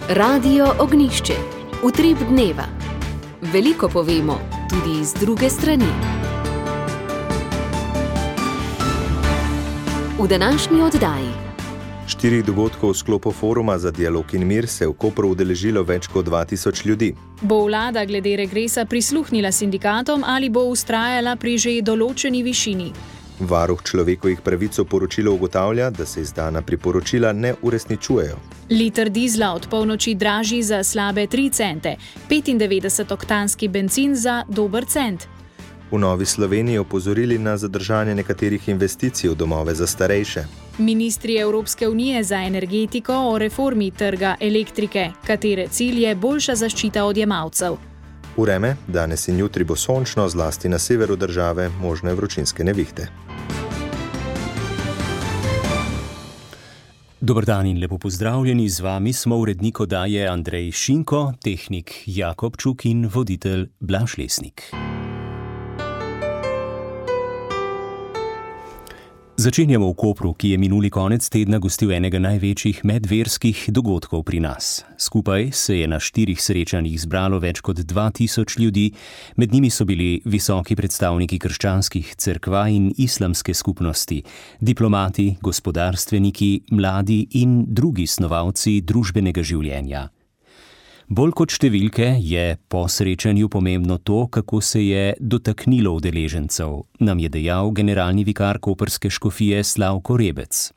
Radio Ognjišče. Utrip dneva. Veliko povemo, tudi z druge strani. V današnji oddaji. 4 dogodkov v sklopu foruma za dialog in mir se v Kopru udeležilo več kot 2000 ljudi. Bo vlada glede regresa prisluhnila sindikatom ali bo vztrajala pri že določeni višini? Varuh človekovih pravic v poročilu ugotavlja, da se izdana priporočila ne uresničujejo. Liter dizla od polnoči dražji za slabe 3 cente, 95-oktanski bencin za dober cent. V Novi Sloveniji opozorili na zadržanje nekaterih investicij v domove za starejše. Ministri Evropske unije za energetiko o reformi trga elektrike, katere cilj je boljša zaščita odjemalcev. Vreme, danes in jutri bo sončno, zlasti na severu države, možne vročinske nevihte. Dober dan in lepo pozdravljeni, z vami smo urednik oddaje Andrej Šinko, tehnik Jakob Čuk in voditelj Blaž Lesnik. Začenjamo v Kopru, ki je minuli konec tedna gostil enega največjih medverskih dogodkov pri nas. Skupaj se je na 4 srečanjih zbralo več kot 2000 ljudi, med njimi so bili visoki predstavniki krščanskih cerkva in islamske skupnosti, diplomati, gospodarstveniki, mladi in drugi snovalci družbenega življenja. Bolj kot številke je po srečanju pomembno to, kako se je dotaknilo udeležencev, nam je dejal generalni vikar koprske škofije Slavko Rebec.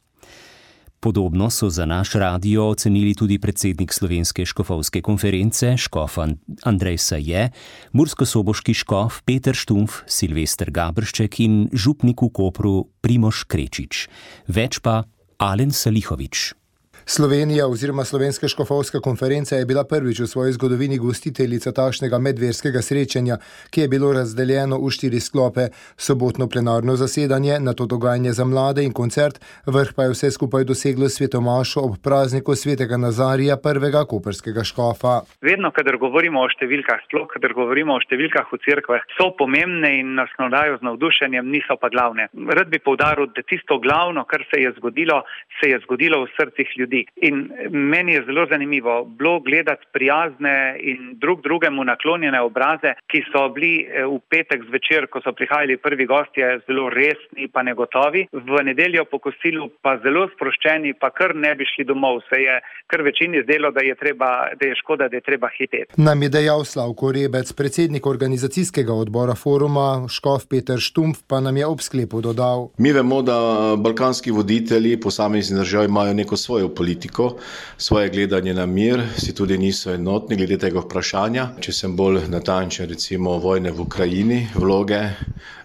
Podobno so za naš radio ocenili tudi predsednik Slovenske škofovske konference, škof Andrej Saje, murskosoboški škof Peter Štumpf, Silvester Gabršček in župnik v Kopru Primož Krečič. Več pa Alen Salihovič. Slovenija oziroma Slovenska škofovska konferenca je bila prvič v svoji zgodovini gostiteljica takšnega medverskega srečanja, ki je bilo razdeljeno v 4 sklope: sobotno plenarno zasedanje, nato dogajanje za mlade in koncert, vrh pa je vse skupaj doseglo svetomašo ob prazniku svetega Nazarija, prvega koprskega škofa. Vedno, kadar govorimo o številkah, sploh kadar govorimo o številkah v cerkvah, so pomembne in nas navdajo z navdušenjem, niso pa glavne. Rad bi poudaril, da tisto glavno, kar se je zgodilo v srcih ljudi. In meni je zelo zanimivo bilo gledati prijazne in drugemu naklonjene obraze, ki so bili v petek zvečer, ko so prihajali prvi gostje, zelo resni pa negotovi, v nedeljo po kosilu pa zelo sproščeni, pa kar ne bi šli domov. Se je kar večini zdelo, da je škoda, da je treba hiteti. Nam je dejal Slavko Rebec, predsednik organizacijskega odbora foruma, škof Peter Štumpf pa nam je ob sklepu dodal. Mi vemo, da balkanski voditelji posamezni državi imajo neko svojo politiko, svoje gledanje na mir, si tudi niso enotni glede tega vprašanja. Če sem bolj natančen, recimo vojne v Ukrajini, vloge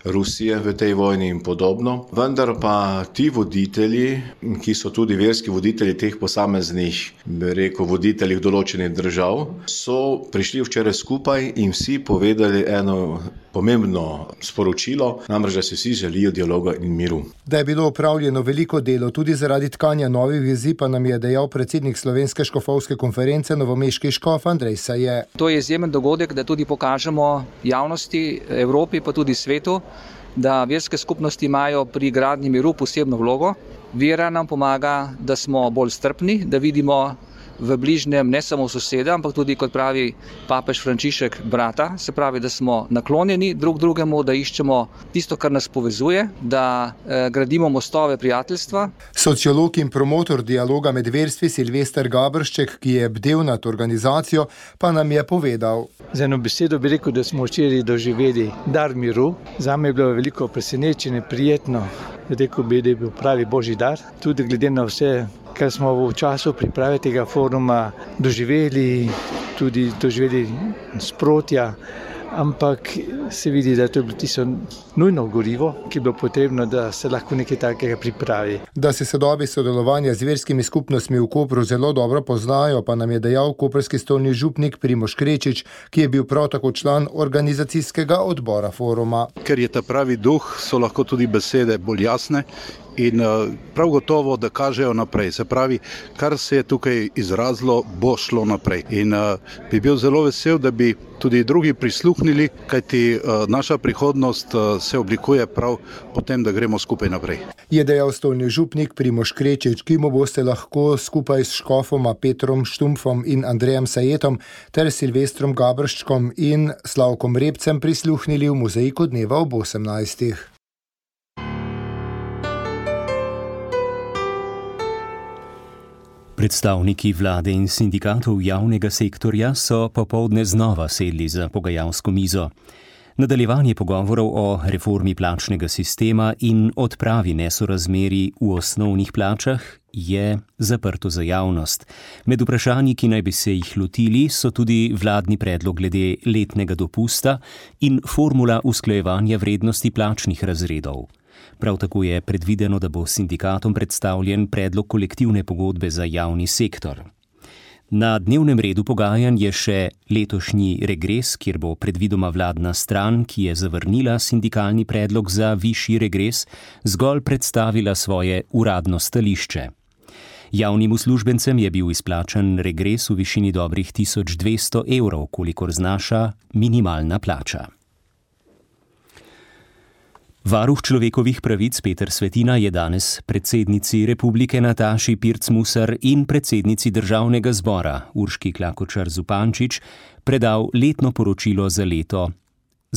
Rusije v tej vojni in podobno. Vendar pa ti voditelji, ki so tudi verski voditelji teh posameznih, bi rekel, voditeljih določenih držav, so prišli včeraj skupaj in vsi povedali eno pomembno sporočilo, namreč, da se vsi želijo dialoga in miru. Da je bilo opravljeno veliko delo tudi zaradi tkanja novih vezi, pa nam je dejal predsednik Slovenske škofovske konference, novomeški škof Andrej Saje. To je izjemen dogodek, da tudi pokažemo javnosti, Evropi pa tudi svetu, da verske skupnosti imajo pri gradnji miru posebno vlogo. Vera nam pomaga, da smo bolj strpni, da vidimo v bližnjem ne samo soseda, ampak tudi, kot pravi papež Frančišek, brata. Se pravi, da smo naklonjeni drug drugemu, da iščemo tisto, kar nas povezuje, da gradimo mostove prijateljstva. Sociolog in promotor dialoga med verstvi Silvester Gabršček, ki je bdel nad organizacijo, pa nam je povedal. Z eno besedo bi rekel, da smo včeraj doživeli dar miru. Zame je bilo veliko presenečenje, prijetno. Rekel bi, da je bil pravi božji dar. Tudi glede na vse, kar smo v času priprave tega foruma doživeli, tudi doživeli sprotja, ampak se vidi, da je to bilo tisto nujno gorivo, ki je bilo potrebno, da se lahko nekaj takega pripravi. Da se sodobi sodelovanja z verskimi skupnostmi v Kopru zelo dobro poznajo, pa nam je dejal koprski stolni župnik Primož Krečič, ki je bil prav tako član organizacijskega odbora foruma. Ker je ta pravi duh, so lahko tudi besede bolj jasne in prav gotovo, da kažejo naprej. Se pravi, kar se je tukaj izrazilo, bo šlo naprej. In bi bil zelo vesel, da bi tudi drugi prisluhnili, kajti naša prihodnost se oblikuje prav potem, da gremo skupaj naprej. Je dejal stolni župnik Primož Krečič, ki mu boste lahko skupaj s škofoma Petrom Štumpfom in Andrejem Sajetom ter Silvestrom Gabrščkom in Slavkom Repcem prisluhnili v mozaiku dneva ob 18. Predstavniki vlade in sindikatov javnega sektorja so popoldne znova sedli za pogajalsko mizo. Nadaljevanje pogovorov o reformi plačnega sistema in odpravi nesorazmerij v osnovnih plačah je zaprto za javnost. Med vprašanji, ki naj bi se jih lotili, so tudi vladni predlog glede letnega dopusta in formula usklajevanja vrednosti plačnih razredov. Prav tako je predvideno, da bo sindikatom predstavljen predlog kolektivne pogodbe za javni sektor. Na dnevnem redu pogajanj je še letošnji regres, kjer bo predvidoma vladna stran, ki je zavrnila sindikalni predlog za višji regres, zgolj predstavila svoje uradno stališče. Javnim uslužbencem je bil izplačan regres v višini dobrih 1200 evrov, kolikor znaša minimalna plača. Varuh človekovih pravic Peter Svetina je danes predsednici Republike Nataši Pirc-Musar in predsednici Državnega zbora Urški Klakočar Zupančič predal letno poročilo za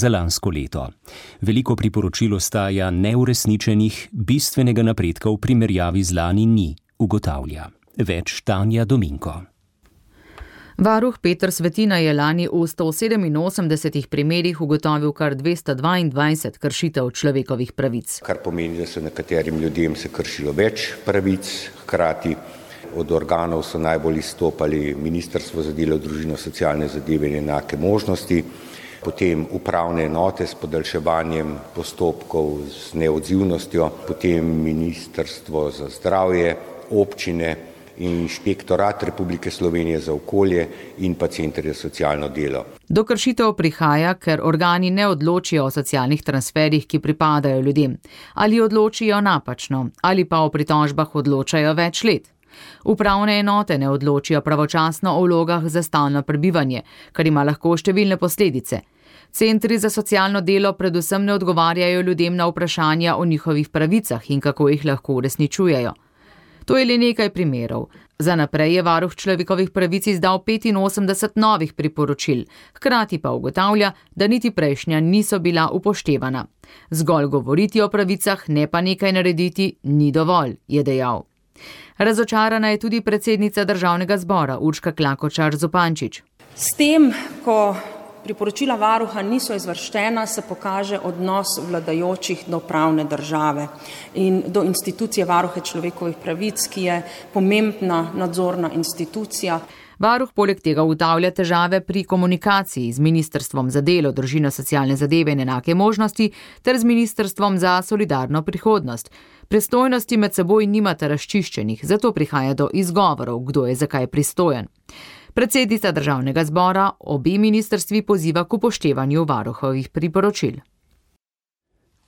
lansko leto. Veliko priporočil ostaja neuresničenih, bistvenega napredka v primerjavi z lani ni, ugotavlja. Več Tanja Dominko. Varuh Peter Svetina je lani v 187 primerih ugotovil kar 222 kršitev človekovih pravic. Kar pomeni, da so nekaterim ljudem se kršilo več pravic, hkrati od organov so najbolj izstopali Ministrstvo za delo, družino, socialne zadeve in enake možnosti, potem upravne enote s podaljševanjem postopkov z neodzivnostjo, potem Ministrstvo za zdravje, občine, Inšpektorat Republike Slovenije za okolje in pa Center za socialno delo. Do kršitev prihaja, ker organi ne odločijo o socialnih transferih, ki pripadajo ljudem, ali odločijo napačno, ali pa o pritožbah odločajo več let. Upravne enote ne odločijo pravočasno o vlogah za stalno prebivanje, kar ima lahko številne posledice. Centri za socialno delo predvsem ne odgovarjajo ljudem na vprašanja o njihovih pravicah in kako jih lahko uresničujejo. To je le nekaj primerov. Za naprej je varuh človekovih pravic izdal 85 novih priporočil, hkrati pa ugotavlja, da niti prejšnja niso bila upoštevana. Zgolj govoriti o pravicah, ne pa nekaj narediti, ni dovolj, je dejal. Razočarana je tudi predsednica Državnega zbora Urška Klakočar Zupančič. S tem, ko priporočila varuha niso izvršena, se pokaže odnos vladajočih do pravne države in do institucije varuha človekovih pravic, ki je pomembna nadzorna institucija. Varuh poleg tega ugotavlja težave pri komunikaciji z Ministrstvom za delo, družino, socialne zadeve in enake možnosti ter z Ministrstvom za solidarno prihodnost. Pristojnosti med seboj nimata razčiščenih, zato prihaja do izgovorov, kdo je zakaj pristojen. Predsednica Državnega zbora obe ministrstvi poziva k upoštevanju varuhovih priporočil.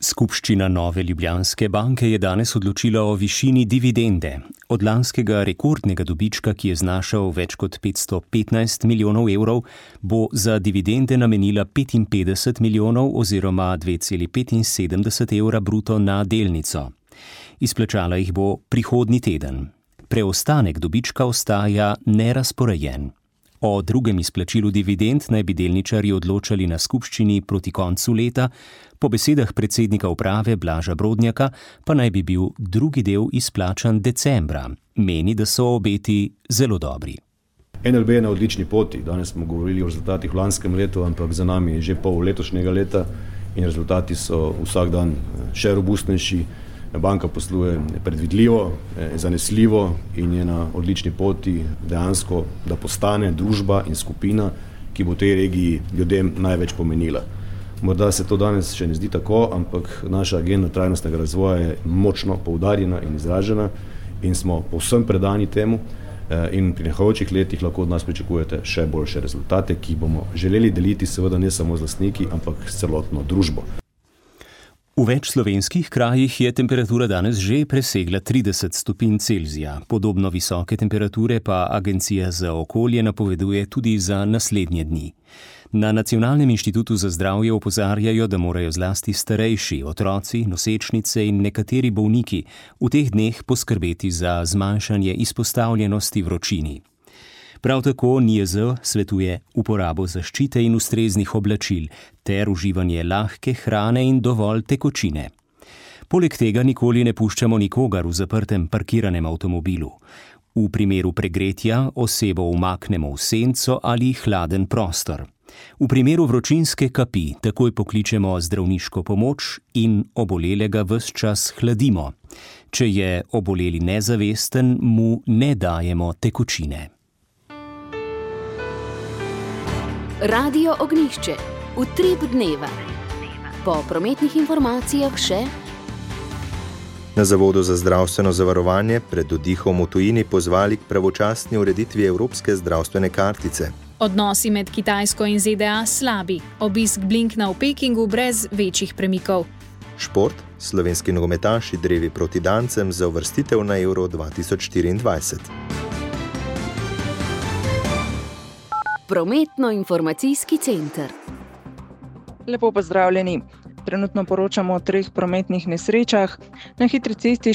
Skupščina Nove Ljubljanske banke je danes odločila o višini dividende. Od lanskega rekordnega dobička, ki je znašal več kot 515 milijonov evrov, bo za dividende namenila 55 milijonov oziroma 2,75 evra bruto na delnico. Izplačala jih bo prihodnji teden. Preostanek dobička ostaja nerazporejen. O drugem izplačilu dividend naj bi delničarji odločali na skupščini proti koncu leta, po besedah predsednika uprave Blaža Brodnjaka pa naj bi bil drugi del izplačan decembra. Meni, da so obeti zelo dobri. NLB je na odlični poti. Danes smo govorili o rezultatih v lanskem letu, ampak za nami je že pol letošnjega leta in rezultati so vsak dan še robustnejši. Banka posluje predvidljivo, zanesljivo in je na odlični poti dejansko, da postane družba in skupina, ki bo tej regiji ljudem največ pomenila. Morda se to danes še ne zdi tako, ampak naša agenda trajnostnega razvoja je močno poudarjena in izražena in smo povsem predani temu in pri prihajajočih letih lahko od nas pričakujete še boljše rezultate, ki bomo želeli deliti seveda ne samo z lastniki, ampak s celotno družbo. V več slovenskih krajih je temperatura danes že presegla 30 stopinj Celzija. Podobno visoke temperature pa Agencija za okolje napoveduje tudi za naslednje dni. Na Nacionalnem inštitutu za zdravje opozarjajo, da morajo zlasti starejši, otroci, nosečnice in nekateri bolniki v teh dneh poskrbeti za zmanjšanje izpostavljenosti vročini. Prav tako NIJZ svetuje uporabo zaščite in ustreznih oblačil ter uživanje lahke hrane in dovolj tekočine. Poleg tega nikoli ne puščamo nikogar v zaprtem parkiranem avtomobilu. V primeru pregretja osebo umaknemo v senco ali hladen prostor. V primeru vročinske kapi takoj pokličemo zdravniško pomoč in obolelega ves čas hladimo. Če je oboleli nezavesten, mu ne dajemo tekočine. Radio Ognjišče. Utrip dneva. Po prometnih informacijah še... Na Zavodu za zdravstveno zavarovanje pred oddihom v tujini pozvali k pravočasni ureditvi evropske zdravstvene kartice. Odnosi med Kitajsko in ZDA slabi. Obisk Blinkna v Pekingu brez večjih premikov. Šport. Slovenski nogometaši drevi proti Dancem za uvrstitev na Euro 2024. Prometno-informacijski center. Lepo pozdravljeni. Trenutno poročamo o 3 prometnih nesrečah. Na hitri cesti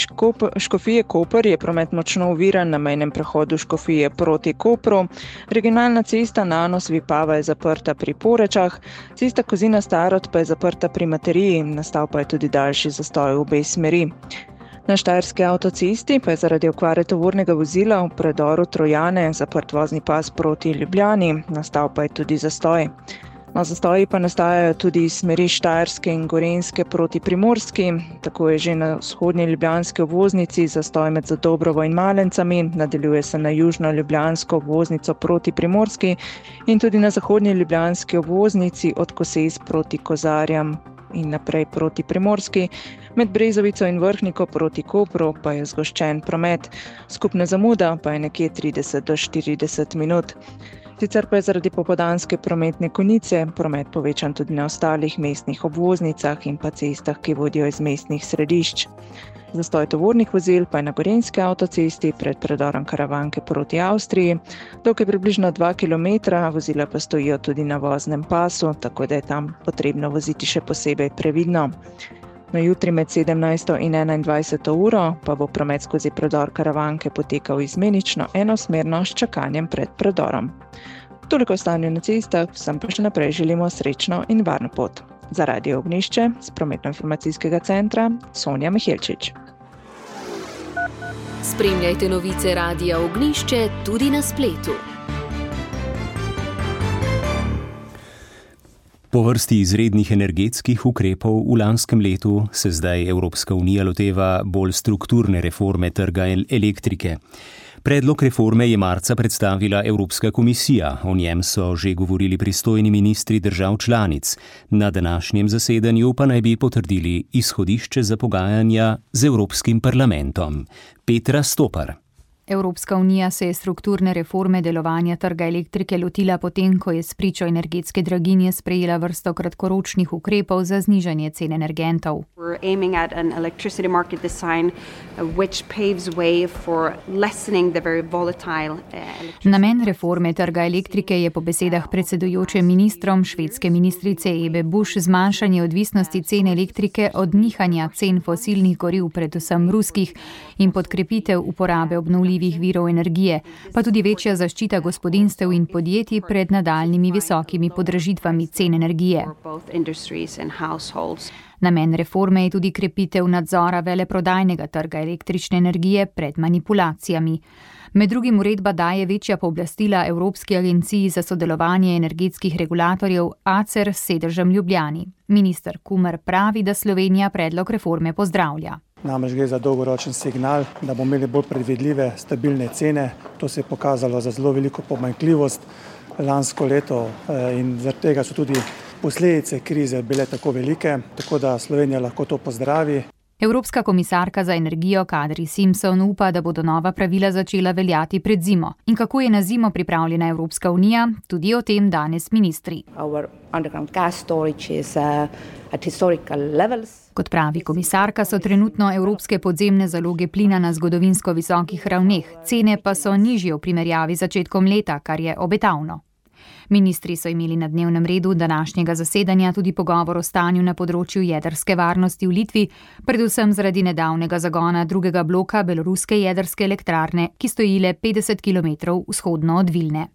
Škofije Koper je promet močno oviran na mejnem prehodu Škofije proti Kopru. Regionalna cesta Nanos-Vipava je zaprta pri Porečah. Cesta Kozina-Starod pa je zaprta pri Materiji. Nastal pa je tudi daljši zastoj v obe smeri. Na Štajerski avtocesti pa je zaradi okvare tovornega vozila v predoru Trojane zaprt vozni pas proti Ljubljani. Nastal pa je tudi zastoj. Zastoji pa nastajajo tudi iz smeri Štajerske in Gorenjske proti Primorski. Tako je že na vzhodnji ljubljanski obvoznici zastoj med Zadobrovo in Malencami, nadaljuje se na južno ljubljansko obvoznico proti Primorski in tudi na zahodnji ljubljanski obvoznici od Koses proti Kozarjam in naprej proti Primorski. Med Brezovico in Vrhniko proti Kopru pa je zgoščen promet. Skupna zamuda pa je nekje 30 do 40 minut. Sicer pa je zaradi popoldanske prometne konice promet povečan tudi na ostalih mestnih obvoznicah in pa cestah, ki vodijo iz mestnih središč. Zastoj tovornih vozil pa je na Gorenjski avtocesti pred predorom Karavanke proti Avstriji. Dolg je približno 2 km, vozila pa stojijo tudi na voznem pasu, tako da je tam potrebno voziti še posebej previdno. Na jutri med 17. in 21. uro pa bo promet skozi predor Karavanke potekal izmenično enosmerno s čakanjem pred predorom. Toliko o stanju na cestah, vsem pa še naprej želimo srečno in varno pot. Za Radio Ognjišče z Prometno-informacijskega centra Sonja Mihelčič. Spremljajte novice Radia Ognjišče tudi na spletu. Po vrsti izrednih energetskih ukrepov v lanskem letu se zdaj Evropska unija loteva bolj strukturne reforme trga elektrike. Predlog reforme je marca predstavila Evropska komisija, o njem so že govorili pristojni ministri držav članic. Na današnjem zasedanju pa naj bi potrdili izhodišče za pogajanja z Evropskim parlamentom. Petra Stopar. Evropska unija se je strukturne reforme delovanja trga elektrike lotila potem, ko je spričo energetske draginje sprejela vrsto kratkoročnih ukrepov za znižanje cen energentov. Namen reforme trga elektrike je po besedah predsedujoče ministrom švedske ministrice Ebbe Busch zmanjšanje odvisnosti cen elektrike od nihanja cen fosilnih goriv, predvsem ruskih, in podkrepitev uporabe obnovljivih virov energije, pa tudi večja zaščita gospodinjstev in podjetij pred nadaljnjimi visokimi podražitvami cen energije. Namen reforme je tudi krepitev nadzora veleprodajnega trga električne energije pred manipulacijami. Med drugim uredba daje večja pooblastila Evropski agenciji za sodelovanje energetskih regulatorjev ACER s sedežem v Ljubljani. Minister Kumer pravi, da Slovenija predlog reforme pozdravlja. Namreč gre za dolgoročen signal, da bomo imeli bolj predvidljive, stabilne cene. To se je pokazalo za zelo veliko pomanjkljivost lansko leto in zaradi tega so tudi posledice krize bile tako velike, tako da Slovenija lahko to pozdravi. Evropska komisarka za energijo Kadri Simpson upa, da bodo nova pravila začela veljati pred zimo. In kako je na zimo pripravljena Evropska unija, tudi o tem danes ministri. Kot pravi komisarka, so trenutno evropske podzemne zaloge plina na zgodovinsko visokih ravneh, cene pa so nižje v primerjavi z začetkom leta, kar je obetavno. Ministri so imeli na dnevnem redu današnjega zasedanja tudi pogovor o stanju na področju jedrske varnosti v Litvi, predvsem zaradi nedavnega zagona drugega bloka beloruske jedrske elektrarne, ki stoji le 50 km vzhodno od Vilne.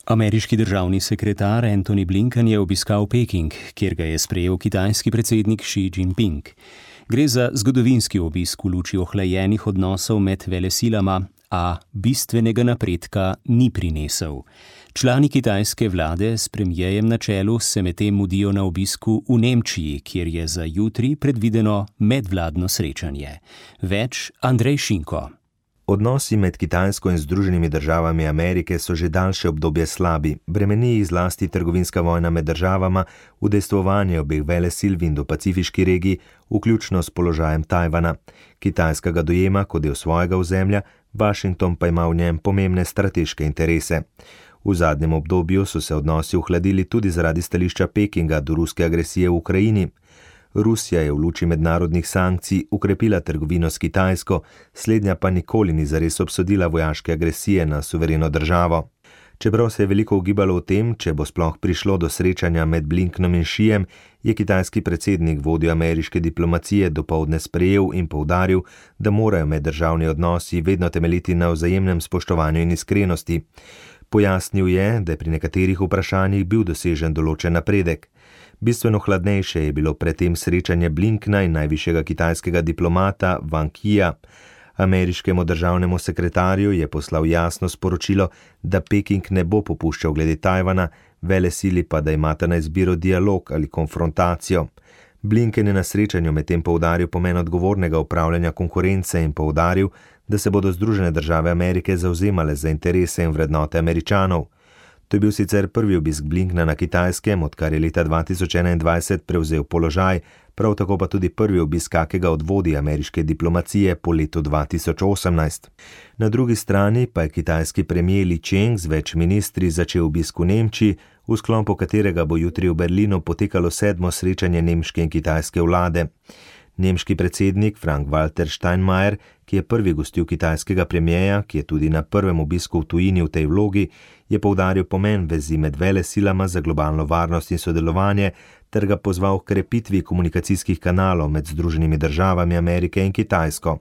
Ameriški državni sekretar Antony Blinken je obiskal Peking, kjer ga je sprejel kitajski predsednik Xi Jinping. Gre za zgodovinski obisk v luči ohlajenih odnosov med velesilama, a bistvenega napredka ni prinesel. Člani kitajske vlade s premierjem na čelu se medtem mudijo na obisku v Nemčiji, kjer je za jutri predvideno medvladno srečanje. Več Andrej Šinko. Odnosi med Kitajsko in Združenimi državami Amerike so že daljše obdobje slabi, bremeni jih zlasti trgovinska vojna med državama, udejstvovanje obeh velesil v Indo-Pacifiški regiji, vključno s položajem Tajvana. Kitajska ga dojema kot del svojega ozemlja, Washington pa ima v njem pomembne strateške interese. V zadnjem obdobju so se odnosi ohladili tudi zaradi stališča Pekinga do ruske agresije v Ukrajini. Rusija je v luči mednarodnih sankcij ukrepila trgovino s Kitajsko, slednja pa nikoli ni zares obsodila vojaške agresije na suvereno državo. Čeprav se je veliko ugibalo o tem, če bo sploh prišlo do srečanja med Blinkenom in Xijem, je kitajski predsednik vodjo ameriške diplomacije dopoldne sprejel in poudaril, da morajo meddržavni odnosi vedno temeljiti na vzajemnem spoštovanju in iskrenosti. Pojasnil je, da je pri nekaterih vprašanjih bil dosežen določen napredek. Bistveno hladnejše je bilo predtem srečanje Blinkena in najvišjega kitajskega diplomata Wang Yija. Ameriškemu državnemu sekretarju je poslal jasno sporočilo, da Peking ne bo popuščal glede Tajvana, velesili pa, da imata na izbiro dialog ali konfrontacijo. Blinken je na srečanju medtem poudaril pomen odgovornega upravljanja konkurence in poudaril, da se bodo Združene države Amerike zavzemale za interese in vrednote Američanov. To je bil sicer prvi obisk Blinkena na Kitajskem, odkar je leta 2021 prevzel položaj, prav tako pa tudi prvi obisk kakega od vodij ameriške diplomacije po letu 2018. Na drugi strani pa je kitajski premier Li Cheng z več ministri začel obisk v Nemčiji, v sklopu katerega bo jutri v Berlinu potekalo 7. srečanje nemške in kitajske vlade. Nemški predsednik Frank-Walter Steinmeier, ki je prvi gostil kitajskega premierja, ki je tudi na prvem obisku v tujini v tej vlogi, je poudaril pomen vezi med velesilama za globalno varnost in sodelovanje ter ga pozval k krepitvi komunikacijskih kanalov med Združenimi državami Amerike in Kitajsko.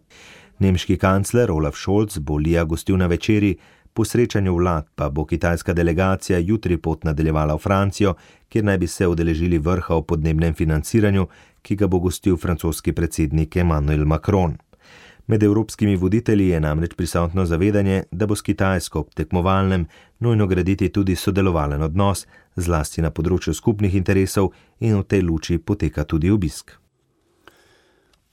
Nemški kancler Olaf Scholz bo Lija gostil na večeri, po srečanju vlad pa bo kitajska delegacija jutri pot nadaljevala v Francijo, kjer naj bi se udeležili vrha o podnebnem financiranju, ki ga bo gostil francoski predsednik Emmanuel Macron. Med evropskimi voditelji je namreč prisotno zavedanje, da bo s Kitajsko ob tekmovalnem nujno graditi tudi sodelovalen odnos, zlasti na področju skupnih interesov, in v tej luči poteka tudi obisk.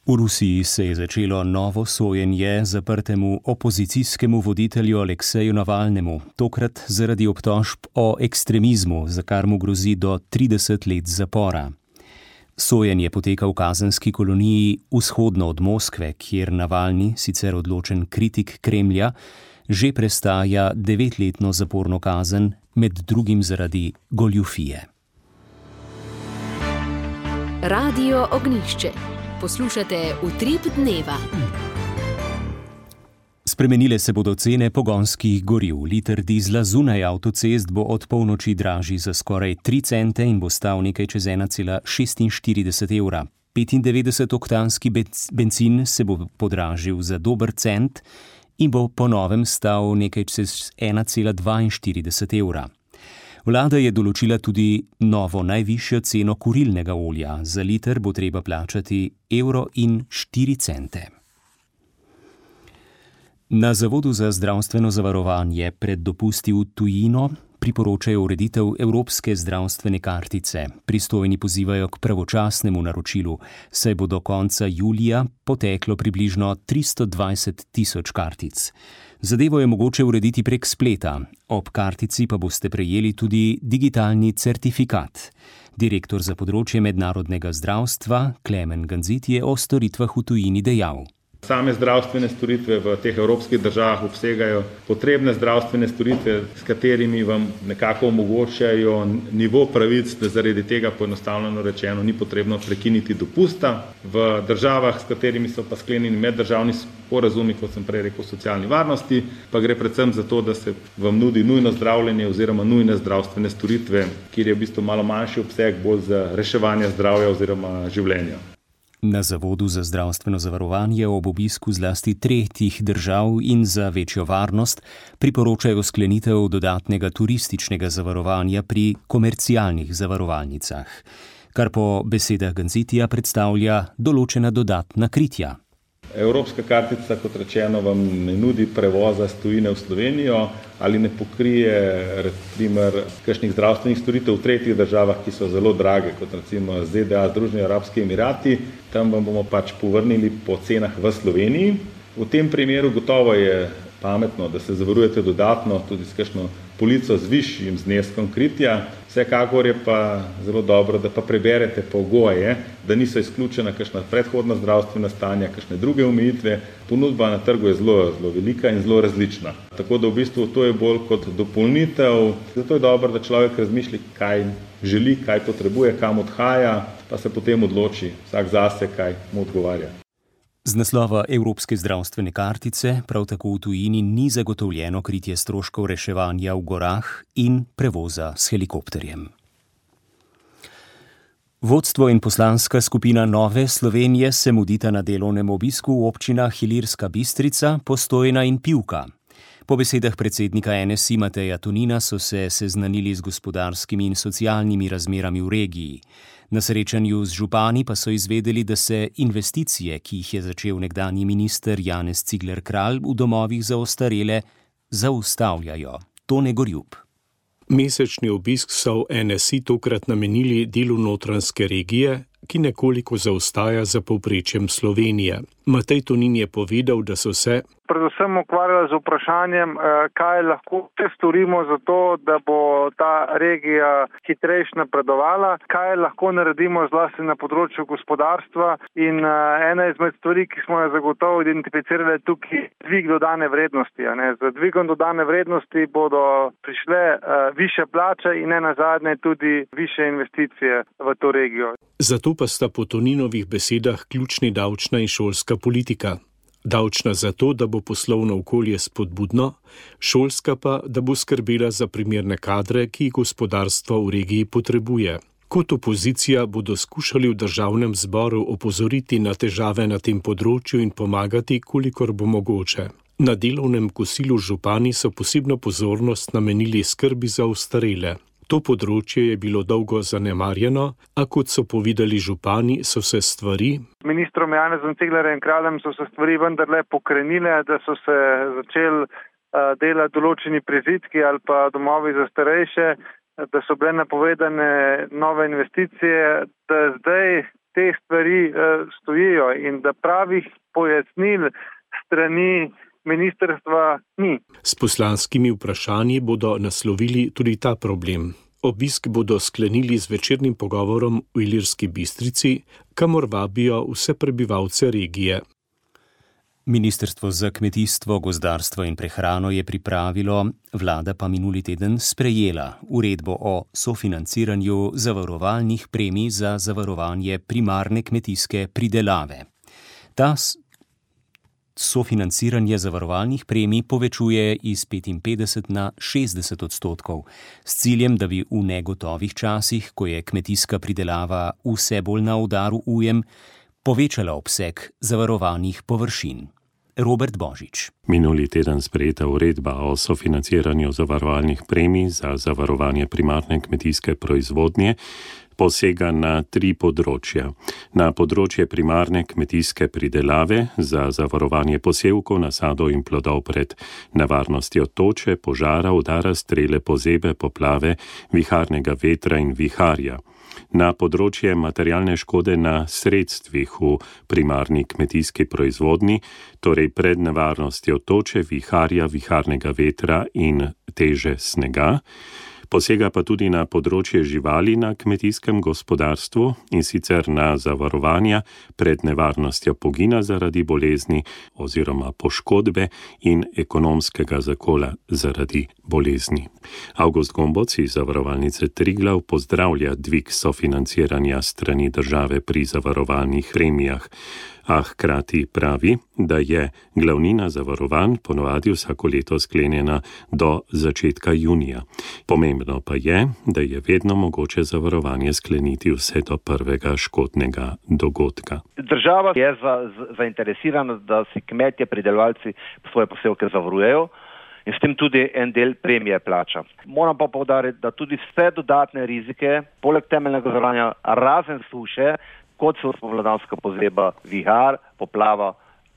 V Rusiji se je začelo novo sojenje zaprtemu opozicijskemu voditelju Alekseju Navalnemu, tokrat zaradi obtožb o ekstremizmu, za kar mu grozi do 30 let zapora. Sojenje poteka v kazenski koloniji vzhodno od Moskve, kjer Navalni, sicer odločen kritik Kremlja, že prestaja 9-letno zaporno kazen, med drugim zaradi goljufije. Radio Ognjišče. Poslušate Utrip dneva. Spremenile se bodo cene pogonskih goriv. Liter dizla zunaj avtocest bo od polnoči dražji za skoraj 3 cente in bo stal nekaj čez 1,46 evra. 95-oktanski bencin se bo podražil za dober cent in bo po novem stal nekaj čez 1,42 evra. Vlada je določila tudi novo najvišjo ceno kurilnega olja. Za liter bo treba plačati 1,04 evra. Na Zavodu za zdravstveno zavarovanje pred dopusti v tujino priporočajo ureditev evropske zdravstvene kartice. Pristojni pozivajo k pravočasnemu naročilu, saj bo do konca julija poteklo približno 320 tisoč kartic. Zadevo je mogoče urediti prek spleta. Ob kartici pa boste prejeli tudi digitalni certifikat. Direktor za področje mednarodnega zdravstva Klemen Ganzit je o storitvah v tujini dejal. Same zdravstvene storitve v teh evropskih državah obsegajo potrebne zdravstvene storitve, s katerimi vam nekako omogočajo nivo pravic, da zaradi tega poenostavljeno rečeno ni potrebno prekiniti dopusta. V državah, s katerimi so pa sklenjeni meddržavni sporazumi, kot sem prej rekel, socialni varnosti, pa gre predvsem za to, da se vam nudi nujno zdravljenje oziroma nujne zdravstvene storitve, kjer je v bistvu malo manjši obseg, bolj za reševanje zdravja oziroma življenja. Na Zavodu za zdravstveno zavarovanje ob obisku zlasti tretjih držav in za večjo varnost priporočajo sklenitev dodatnega turističnega zavarovanja pri komercialnih zavarovalnicah, kar po besedah Ganzitija predstavlja določena dodatna kritja. Evropska kartica, kot rečeno, vam ne nudi prevoza s tujine v Slovenijo ali ne pokrije recimo kakšnih zdravstvenih storitev v tretjih državah, ki so zelo drage, kot recimo ZDA, Združeni arabski emirati. Tam vam bomo povrnili po cenah v Sloveniji. V tem primeru gotovo je pametno, da se zavarujete dodatno tudi s kakšno polico z višjim zneskom kritja. Vsekakor je pa zelo dobro, da pa preberete pogoje, da niso izključena kakšna predhodna zdravstvena stanja, kakšne druge omejitve. Ponudba na trgu je zelo velika in zelo različna. Tako da v bistvu to je bolj kot dopolnitev. Zato je dobro, da človek razmišlja, kaj želi, kaj potrebuje, kam odhaja, pa se potem odloči vsak zase, kaj mu odgovarja. Z naslova Evropske zdravstvene kartice prav tako v tujini ni zagotovljeno kritje stroškov reševanja v gorah in prevoza s helikopterjem. Vodstvo in poslanska skupina Nove Slovenije se mudita na delovnem obisku v občinah Ilirska Bistrica, Postojna in Pivka. Po besedah predsednika NSI Mateja Tonina so se seznanili z gospodarskimi in socialnimi razmerami v regiji. Na srečanju z župani pa so izvedeli, da se investicije, ki jih je začel nekdanji minister Janez Cigler Kralj v domovih za ostarele, zaustavljajo. Tone Gorjub. Mesečni obisk so v NSI tokrat namenili delu notranjske regije, ki nekoliko zaostaja za povprečjem Slovenije. Matej Tonin je povedal, da so se predvsem ukvarjali z vprašanjem, kaj lahko storimo za to, da bo ta regija hitrejše napredovala, kaj lahko naredimo zlasti na področju gospodarstva in ena izmed stvari, ki smo jo zagotovo identificirali tukaj, dvig dodane vrednosti. Z dvigom dodane vrednosti bodo prišle višje plače in nenazadnje tudi višje investicije v to regijo. Zato pa sta po Toninovih besedah ključni davčna in šolska politika. Davčna zato, da bo poslovno okolje spodbudno, šolska pa, da bo skrbela za primerne kadre, ki jih gospodarstvo v regiji potrebuje. Kot opozicija bodo skušali v državnem zboru opozoriti na težave na tem področju in pomagati, kolikor bo mogoče. Na delovnem kosilu župani so posebno pozornost namenili skrbi za ostarele. To področje je bilo dolgo zanemarjeno, a kot so povedali župani, so se stvari z ministrom Janezom Ciglerjem Kraljem so se stvari vendarle pokrenile, da so se začeli delati določeni prizidki ali pa domovi za starejše, da so bile napovedane nove investicije, da zdaj te stvari stojijo in da pravih pojasnil strani ministrstva ni. S poslanskimi vprašanji bodo naslovili tudi ta problem. Obisk bodo sklenili z večernim pogovorom v Ilirski Bistrici, kamor vabijo vse prebivalce regije. Ministrstvo za kmetijstvo, gozdarstvo in prehrano je pripravilo, vlada pa minuli teden sprejela uredbo o sofinanciranju zavarovalnih premij za zavarovanje primarne kmetijske pridelave. Ta sofinanciranje zavarovalnih premij povečuje iz 55 na 60%, s ciljem, da bi v negotovih časih, ko je kmetijska pridelava vse bolj na udaru ujm, povečala obseg zavarovanih površin. Robert Božič. Minuli teden sprejeta uredba o sofinanciranju zavarovalnih premij za zavarovanje primarne kmetijske proizvodnje posega na 3 področja. Na področje primarne kmetijske pridelave za zavarovanje posevkov, nasadov in plodov pred nevarnostjo toče, požara, udara strele, pozebe, poplave, viharnega vetra in viharja. Na področje materialne škode na sredstvih v primarni kmetijski proizvodnji, torej pred nevarnostjo toče, viharja, viharnega vetra in teže snega. Posega pa tudi na področje živali na kmetijskem gospodarstvu, in sicer na zavarovanja pred nevarnostjo pogina zaradi bolezni oziroma poškodbe in ekonomskega zakola zaradi bolezni. Avgust Gomboc iz Zavarovalnice Triglav pozdravlja dvig sofinanciranja strani države pri zavarovalnih premijah, a hkrati pravi, da je glavnina zavarovanj ponovadi vsako leto sklenjena do začetka junija. Pomembno pa je, da je vedno mogoče zavarovanje skleniti vse do prvega škodnega dogodka. Država je zainteresirana, da si kmetje, pridelovalci svoje posevke zavarujejo in s tem tudi en del premije plača. Moram pa poudariti, da tudi vse dodatne rizike, poleg temeljnega zavarovanja, razen suše, kot so spomladanska pozeba, vihar, poplava,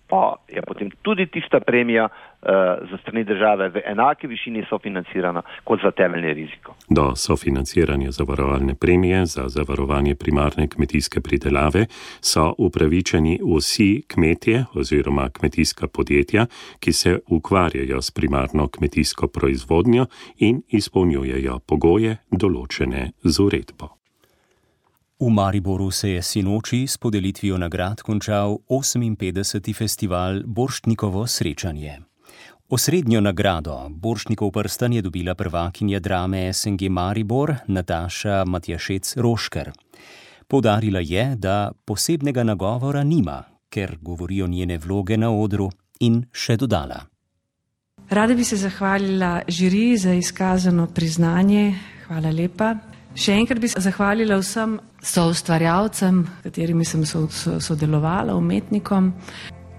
pa je potem tudi tista premija za strani države v enaki višini sofinancirana kot za temeljni riziko. Do sofinanciranja zavarovalne premije za zavarovanje primarne kmetijske pridelave so upravičeni vsi kmetje oziroma kmetijska podjetja, ki se ukvarjajo s primarno kmetijsko proizvodnjo in izpolnjujejo pogoje določene z uredbo. V Mariboru se je sinoči s podelitvijo nagrad končal 58. festival Borštnikovo srečanje. Osrednjo nagrado Borštnikov prstan je dobila prvakinja drame SNG Maribor Nataša Matjašec-Rošker. Poudarila je, da posebnega nagovora nima, ker govorijo njene vloge na odru, in še dodala. Rada bi se zahvalila žiriji za izkazano priznanje. Hvala lepa. Še enkrat bi se zahvalila vsem soustvarjalcem, katerimi sem sodelovala, umetnikom.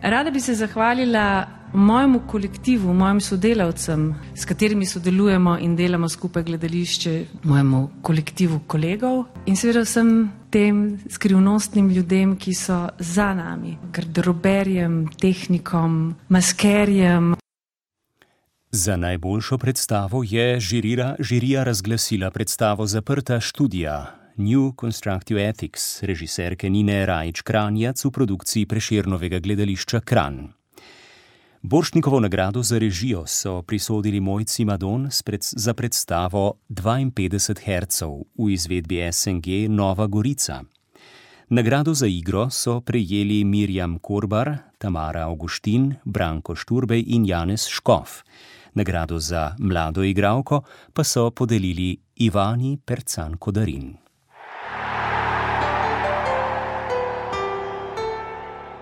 Rada bi se zahvalila mojemu kolektivu, mojim sodelavcem, s katerimi sodelujemo in delamo skupaj gledališče, mojemu kolektivu kolegov in seveda vsem tem skrivnostnim ljudem, ki so za nami, garderoberjem, tehnikom, maskerjem. Za najboljšo predstavo je žirija razglasila predstavo Zaprta študija New Constructive Ethics režiserke Nine Rajić-Kranjac v produkciji Prešernovega gledališča Kranj. Borštnikovo nagrado za režijo so prisodili Mojci Madon za predstavo 52 hercev v izvedbi SNG Nova Gorica. Nagrado za igro so prejeli Mirjam Korbar, Tamara Augustin, Branko Šturbej in Janez Škof. Nagrado za mlado igralko pa so podelili Ivani Percan-Kodarin.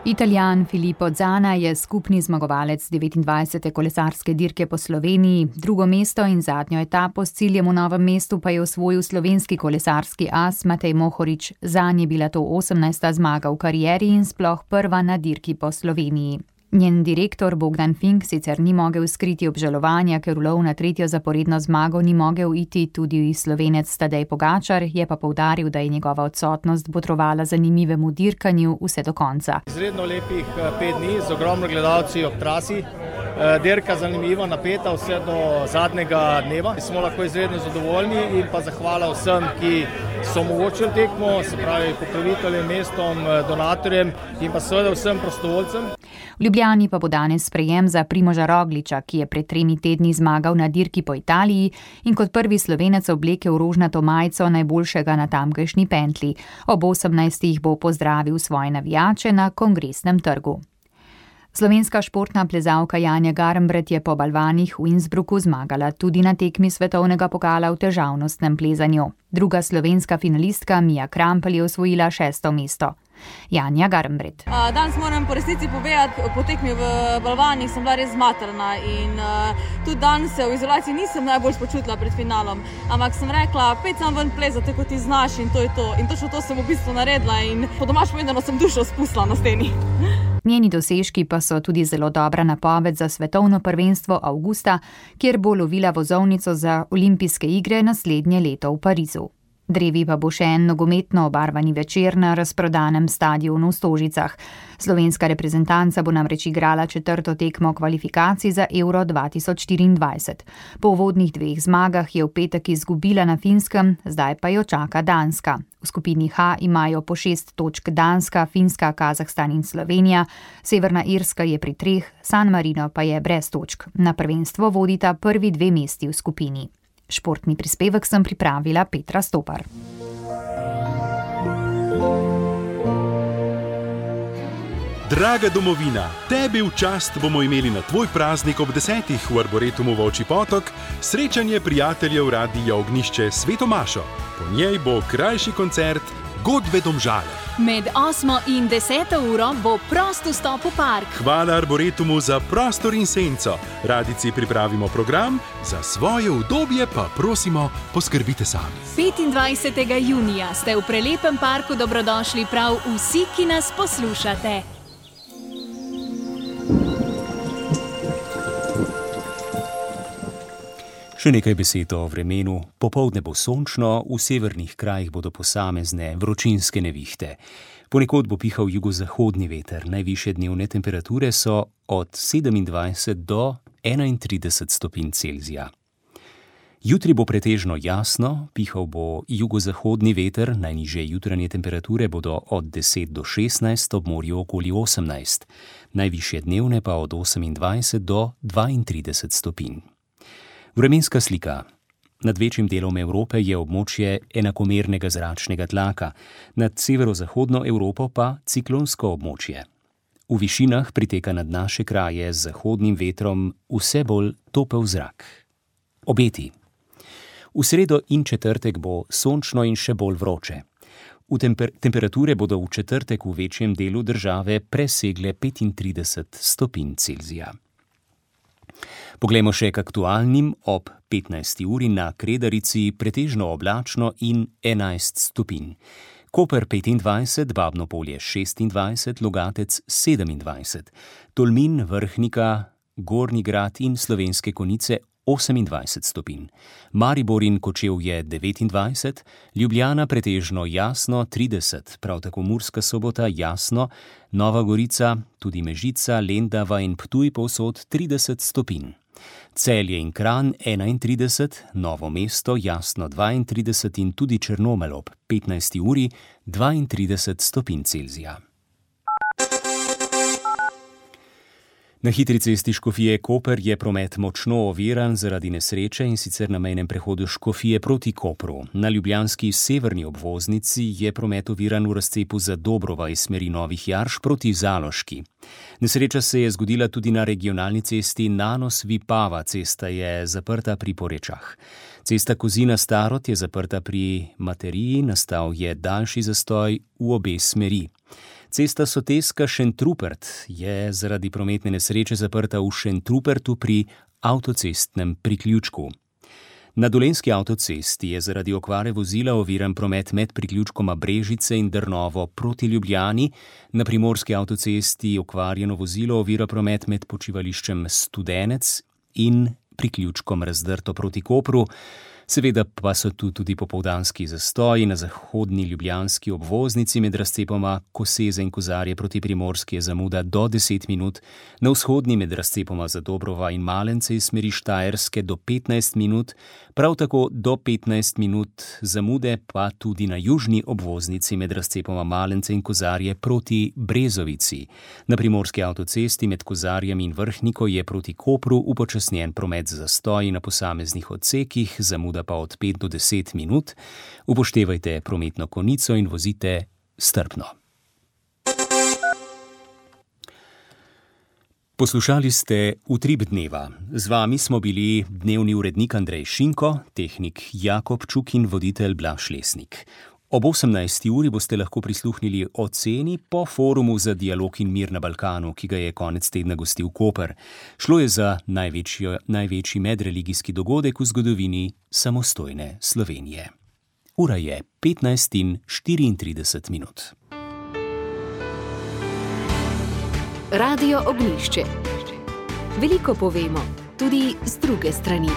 Italijan Filippo Zana je skupni zmagovalec 29. kolesarske dirke po Sloveniji, drugo mesto in zadnjo etapo s ciljem v Novem mestu pa je osvojil slovenski kolesarski as Matej Mohorič. Zanj je bila to 18. zmaga v karieri in sploh prva na dirki po Sloveniji. Njen direktor Bogdan Fink sicer ni mogel skriti obžalovanja, ker v lov na tretjo zaporedno zmago ni mogel iti tudi Slovenec Tadej Pogačar, je pa poudaril, da je njegova odsotnost botrovala zanimivemu dirkanju vse do konca. Izredno lepih 5 dni z ogromno gledalci ob trasi. Dirka zanimiva, napeta vse do zadnjega dneva. Smo lahko izredno zadovoljni in pa zahvala vsem, ki so omogočili tekmo, se pravi pokroviteljem, mestom, donatorjem in pa seveda vsem prostovoljcem. V Ljubljani pa bo danes sprejem za Primoža Rogliča, ki je pred 3 tedni zmagal na dirki po Italiji in kot prvi Slovenec oblekel rožnato majico najboljšega na tamkajšnji pentlji. Ob 18. bo pozdravil svoje navijače na Kongresnem trgu. Slovenska športna plezalka Janja Garnbret je po balvanih v Innsbrucku zmagala tudi na tekmi svetovnega pokala v težavnostnem plezanju. Druga slovenska finalistka Mija Krampelj je osvojila 6. mesto. Janja Garnbret. Danes moram po resnici povedati, po tekmi v balvanih sem bila res zmatrana in tudi danes se v izolaciji nisem najbolj počutila pred finalom, ampak sem rekla, pet sam ven plezati, kot ti znaš in to je to. In točno to sem v bistvu naredila in po domač povedano sem dušo spustila na steni. Njeni dosežki pa so tudi zelo dobra napoved za svetovno prvenstvo avgusta, kjer bo lovila vozovnico za olimpijske igre naslednje leto v Parizu. Drevi pa bo še en nogometno obarvani večer na razprodanem stadionu v Stožicah. Slovenska reprezentanca bo namreč igrala 4. tekmo kvalifikacij za Euro 2024. Po uvodnih 2 zmagah je v petek izgubila na Finskem, zdaj pa jo čaka Danska. V skupini H imajo po 6 točk Danska, Finska, Kazahstan in Slovenija, Severna Irska je pri 3, San Marino pa je brez točk. Na prvenstvo vodita prvi 2 mesti v skupini. Športni prispevek sem pripravila Petra Stopar. Draga domovina, tebi v čast bomo imeli na tvoj praznik ob 10. v Arboretumu Volčji Potok srečanje prijateljev Radia Ognjišče s Sveto Mašo. Po njej bo krajši koncert Godbe Domžale. Med 8. in 10. uro bo prost vstop v park. Hvala Arboretumu za prostor in senco. Radici pripravimo program, za svoje udobje pa prosimo, poskrbite sami. 25. junija ste v prelepem parku dobrodošli prav vsi, ki nas poslušate. Še nekaj besed o vremenu. Popoldne bo sončno, v severnih krajih bodo posamezne vročinske nevihte. Ponekod bo pihal jugozahodni veter. Najvišje dnevne temperature so od 27 do 31 stopinj Celzija. Jutri bo pretežno jasno, pihal bo jugozahodni veter, najnižje jutranje temperature bodo od 10 do 16, ob morju okoli 18. Najvišje dnevne pa od 28 do 32 stopinj. Vremenska slika. Nad večjim delom Evrope je območje enakomernega zračnega tlaka, nad severozahodno Evropo pa ciklonsko območje. V višinah priteka nad naše kraje z zahodnim vetrom vse bolj topel zrak. Obeti. V sredo in četrtek bo sončno in še bolj vroče. Temperature bodo v četrtek v večjem delu države presegle 35 stopinj Celzija. Poglejmo še k aktualnim. Ob 15. uri na Kredarici pretežno oblačno in 11 stopinj. Koper 25, Babno Polje 26, Logatec 27, Tolmin, Vrhnika, Gornji Grad in Slovenske Konjice 28 stopinj. Maribor in Kočevje 29, Ljubljana pretežno jasno 30, prav tako Murska Sobota jasno, Nova Gorica, tudi Mežica, Lendava in Ptuj povsod 30 stopinj. Celje in Kranj 31, Novo mesto jasno 32 in tudi Črnomelj ob 15. uri 32 stopinj Celzija. Na hitri cesti Škofije Koper je promet močno oviran zaradi nesreče, in sicer na mejnem prehodu Škofije proti Kopru. Na ljubljanski severni obvoznici je promet oviran v razcepu Zadobrova iz smeri Novih Jarš proti Zaloški. Nesreča se je zgodila tudi na regionalni cesti Nanos-Vipava, cesta je zaprta pri Porečah. Cesta Kozina-Starod je zaprta pri Materiji, nastal je daljši zastoj v obe smeri. Cesta Soteska-Šentrupert je zaradi prometne nesreče zaprta v Šentrupertu pri avtocestnem priključku. Na Dolenjski avtocesti je zaradi okvare vozila oviran promet med priključkoma Brežice in Drnovo proti Ljubljani. Na Primorski avtocesti okvarjeno vozilo ovira promet med počivališčem Studenec in priključkom Razdrto proti Kopru. Seveda pa so tu tudi popoldanski zastoji. Na zahodni ljubljanski obvoznici med razcepoma Koseze in Kozarje proti Primorski je zamuda do 10 minut, na vzhodni med razcepoma Zadobrova in Malence iz smeri Štajerske do 15 minut, prav tako do 15 minut zamude pa tudi na južni obvoznici med razcepoma Malence in Kozarje proti Brezovici. Na primorski avtocesti med Kozarjem in Vrhniko je proti Kopru upočasnjen promet z zastoji na posameznih odsekih, zamuda pa od 5 do 10 minut. Upoštevajte prometno konico in vozite strpno. Poslušali ste Utrip dneva. Z vami smo bili dnevni urednik Andrej Šinko, tehnik Jakob Čuk in voditelj Blaž Lesnik. Ob 18. uri boste lahko prisluhnili oceni po forumu za dialog in mir na Balkanu, ki ga je konec tedna gostil Koper. Šlo je za največji medreligijski dogodek v zgodovini samostojne Slovenije. Ura je 15:34 minut. Radio Ognjišče. Veliko povemo, tudi z druge strani.